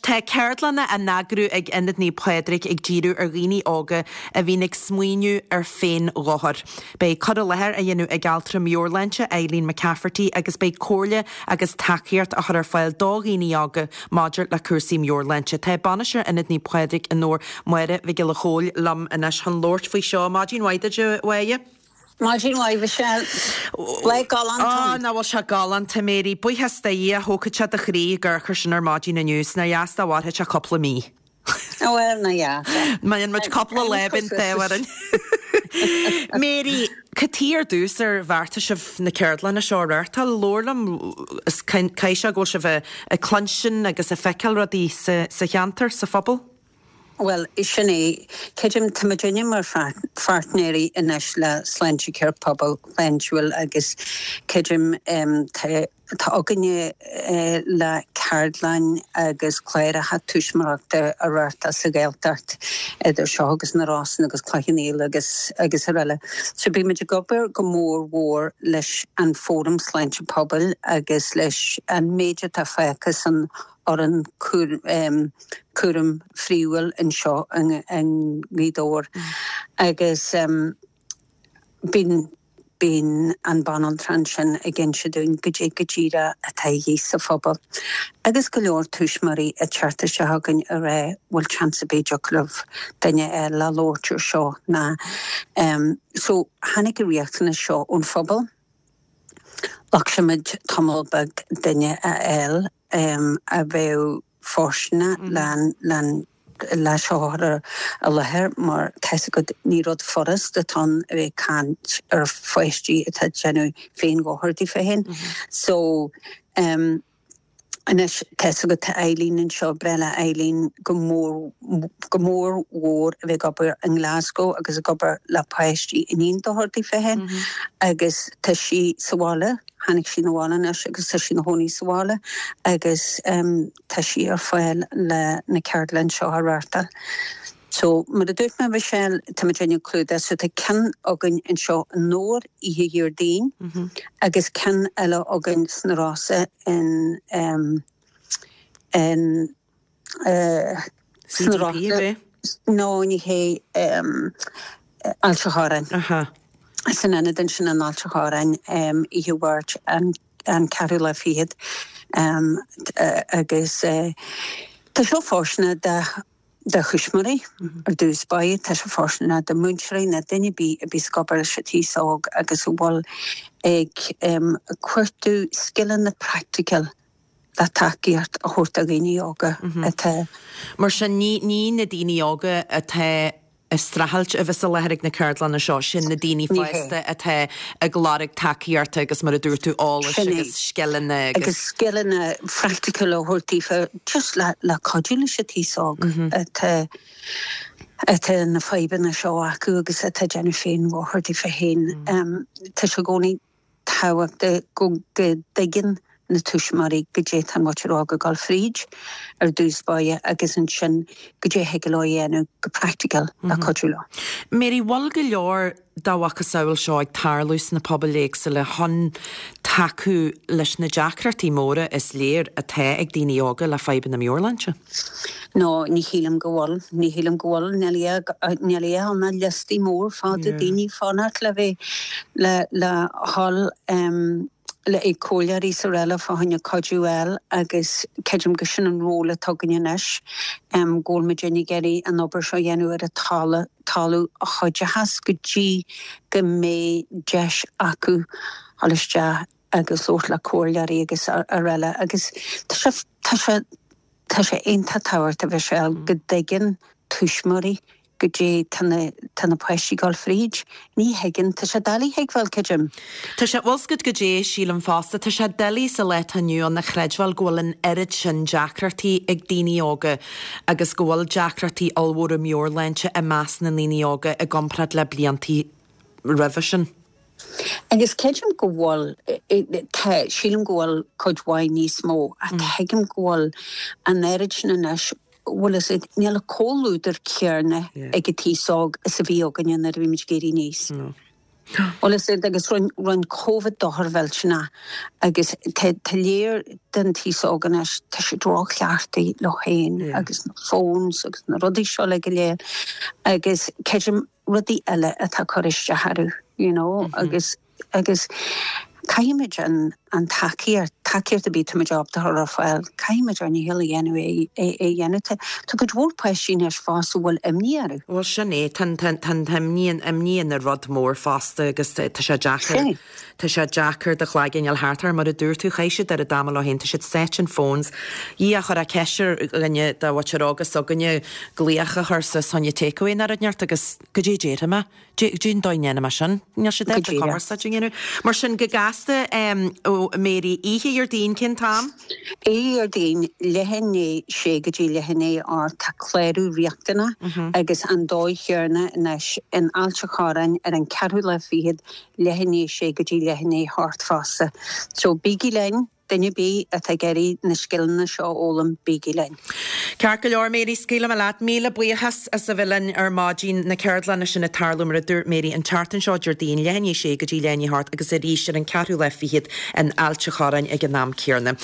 Tá ceardlanna á n-eagrú ag Ionad Naomh Pádraig ag díriú ar dhaoine óga a bhíonn ag smaoineamh ar féin-dhochar. Beidh cur i láthair á dhéanamh ag altra meabhairshláinte Eileen McCafferty agus beidh comhairle agus tacaíocht á chur ar fáil do dhaoine óga maidir le cúrsaí meabhairshláinte. Tá bainisteoir Ionad Naomh Pádraig i nDobhar, Máire Mhic Giolla Chóill, liom anois chun labhairt faoi seo. Maidin mhaith duit, a Mháire. Maidin mhaith, Michelle. Lá galánta. Á, nach bhfuil sé galánta, Mary. Buíochas do Dhia, thógfadh sé do chroí ag amharc air sin ar maidin inniu, 's nár dheas dá mhairfeadh sé cúpla mí. Ó bhuel, ná dheas. Má dhéanann muid cúpla lá bíonn an t-ádh orainn. Mary, cad chuige ar dtús ar bheartaigh sibh na ceardlanna seo a reáchtáil? Labhair liom, is caithfidh sé go bhfuil sibh ag cluinstin agus ag feiceáil rudaí sa cheantar, sa phobal? Bhuel, sin é. Creidim, tá muidinne mar pháirtnéirí anois le Sláintecare Pobal Shláintiúil agus creidim tá tá againne le ceardlann agus cláracha tuismitheoireachta a reáchtáil sa Ghaeltacht idir seo agus na Rosann agus Cloich Cheann Fhaola agus agus araile. So bíonn muid ag obair go mór mhór leis an Fóram Sláinte Pobail agus leis an méid atá fágtha san fhoireann cúraim phríomhúil anseo i nGaoth Dobhair agus bíonn bíonn an banaltra ansin ag inse dúinn goidé go díreach atá a dhíth sa phobal agus go leor tuismitheoirí ag teacht isteach chugainn ag rá bhfuil chance ar bith dtiocfadh libh duine a fháil le labhairt ar seo ná so tháinig an riachtanas seo ón phobal. Ghlac muid tamall beag duine a fháil a bheadh fóirsteanach le seo a chur i láthair mar tá 'fhios agat ní rud furast atá ann a bheith ag caint ar pháistí atá ag déanamh féin-dhochar daofa féin. So Anois, tá 'fhios agat, tá Eileen anseo, breá le Eileen go mór, go mór mhór a bheith ag obair i nGlasgow agus ag obair le páistí a níonn dochar daofa féin agus tá sí sa bhaile, tháinig sí 'na bhaile anois agus tá sí ina chónaí sa bhaile agus tá sí ar fáil le na ceardlann seo a reáchtáil. So, mar a dúirt mé, Michelle, tá muid ag clúdach, so tá ceann againn anseo i nDobhar oíche Dhéardaoin agus ceann eile againn sna Rosa in, in, sna Rosa, no, ní hé, Ailt a' Chorráin. San ionad ansin in Ailt a' Chorráin oíche Mháirt an an ceathrú lá fichead agus tá seo fóirsteanach do do thuismitheoirí ar dtús báire, tá sé fóirsteanach do mhúinteoirí nó duine ar bith a bhíos ag obair leis an t-aos óg agus a bhfuil ag cuartú scileanna praiticiúil le tacaíocht a thabhairt do dhaoine óga atá. Mar sin, ní na daoine óga atá ag streachailt a bheas i láthair ag na ceardlanna seo, sin na daoine fásta atá ag lorg tacaíochta agus mar a dúirt tú, eolais agus scileanna agus. Agus scileanna phraiticiúla a thabhairt daofa just le le cuidiú leis an t-aos óg atá atá na fadhbanna seo acu agus atá ag déanamh féin-dhochar daofa féin. Tá sé i gcónaí tábhachtach go dtuigeann na tuismitheoirí goidé tá an mhuintir óg ag dul fríd ar dtús báire agus ansin goidé a thig leo a dhéanamh go praiticiúil le cuidiú leo. Mary, bhfuil go leor dá mhacasamhail seo ag tarlú sna pobail éagsúla chun tacú leis na deacrachtaí móra is léir atá ag daoine óga le fadhbanna meabhairshláinte? No, ní shílim go bhfuil. Ní shílim go bhfuil. Níl níl a ann ach liostaí mór fada daoine ag fanacht le bheith le le dhul le ag comhairleoirí is araile fá choinne cuidiú a fháil agus creidim go sin an ról atá againn anois, go bhfuil muid ag iarraidh an obair seo a dhéanamh ar an talamh talamh a chuideochas go dtí go mbeidh deis acu dhul isteach agus labhairt le comhairleoirí agus araile agus tá sé tá sé tá sé iontach tábhachtach a Mhichelle go dtuigeann tuismitheoirí goidé tá na tá na páistí ag dul fríd. Ní thuigeann, tá sé doiligh a thuigbheáil, creidim. Tá sé, bhfuil 's agat goidé, sílim fosta, tá sé doiligh sa lá atá inniu ann a chreidbheáil go bhfuil an oiread sin deacrachtaí ag daoine óga agus go bhfuil deacrachtaí ollmhóra meabhairshláinte i measc na ndaoine óga i gcomparáid le bliantaí roimhe sin. Agus creidim go bhfuil, tá, sílim go bhfuil cuid mhaith níos mó ach tuigim go bhfuil an oiread sin anois, bhfuil fhios agat, níl an comhluadar céanna ag an t-aos óg is a bhí againne nuair a bhí muid ag éirí aníos. Bhuel is ea agus rinne rinne Covid dochar mhillteanach agus tá tá léir den t-aos óg anois tá siad róchleachtaithe leo féin agus na phones agus na rudaí seo le go léir agus creidim rudaí eile atá ag cur isteach orthu you know agus agus caithfimid an an tacaíocht, tacaíocht ar bith táimid ábalta a chur ar fáil, caithfimid ár ndícheall a dhéanamh é a dhéanamh. Tá tá cuid mhór páistí anois fosta a bhfuil imní orthu. Bhuel sin é, tá an tá an t-imní, an imní ina rud mór fosta agus tá sé deacair, tá sé deacair do chloigeann a fháil thart air. Mar a dúirt tú, chaith siad oiread ama leo féin, tá siad sáite in phones. Dhia, chuirfeá ceist ar dhuine de mhuintir óga s'againne glaoch a chur suas fá choinne takeaway nó rud inteacht agus goidé a déarfaidh mé? Cén dóigh a ndéanfaidh mé sin? Níl siad ábalta cumarsáid a dhéanamh. Mar sin, go gasta, ó Mary, oíche Dhéardaoin, cén t-am? Oíche Dhéardaoin, leath i ndiaidh sé go dtí leath i ndiaidh a hocht, tá clárú riachtanach agus an dóigh chéanna anois in Ailt an Chorráin ar an ceathrú lá fichead, leath i ndiaidh sé go dtí leath i ndiaidh a hocht fosta. So bígí linn! Duine ar bith atá ag iarraidh na scileanna seo a fhoghlaim, bígí linn. Ceart go leor, Mary, scaoilfidh mé leat. Míle buíochas as a bheith linn ar maidin. Na ceardlanna sin ag tarlú, mar a dúirt Mary, an tseachtain seo, Déardaoin, leath i ndiaidh a sé go dtí leath i ndiaidh a hocht agus arís ar an ceathrú lá fichead in Ailt an Chorráin ag an am céanna.